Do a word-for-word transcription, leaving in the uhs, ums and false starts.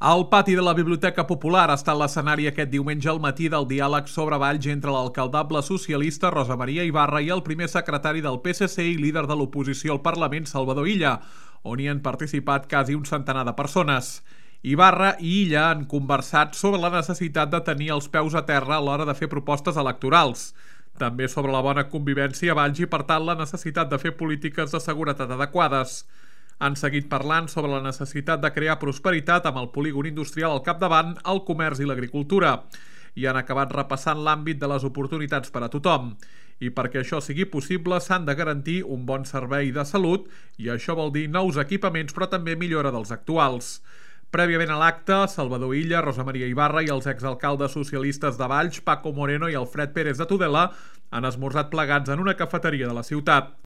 El pati de la Biblioteca Popular ha estat l'escenari aquest diumenge al matí del diàleg sobre Valls entre l'alcaldable socialista Rosa Maria Ibarra i el primer secretari del P S C i líder de l'oposició al Parlament, Salvador Illa, on hi han participat quasi un centenar de persones. Ibarra i Illa han conversat sobre la necessitat de tenir els peus a terra a l'hora de fer propostes electorals. També sobre la bona convivència a Valls i, per tant, la necessitat de fer polítiques de seguretat adequades. Han seguit parlant sobre la necessitat de crear prosperitat amb el polígon industrial al capdavant, el comerç i l'agricultura, i han acabat repassant l'àmbit de les oportunitats per a tothom. I perquè això sigui possible s'han de garantir un bon servei de salut i això vol dir nous equipaments però també millora dels actuals. Prèviament a l'acte, Salvador Illa, Rosa Maria Ibarra i els exalcaldes socialistes de Valls, Paco Moreno i Alfred Pérez de Tudela, han esmorzat plegats en una cafeteria de la ciutat.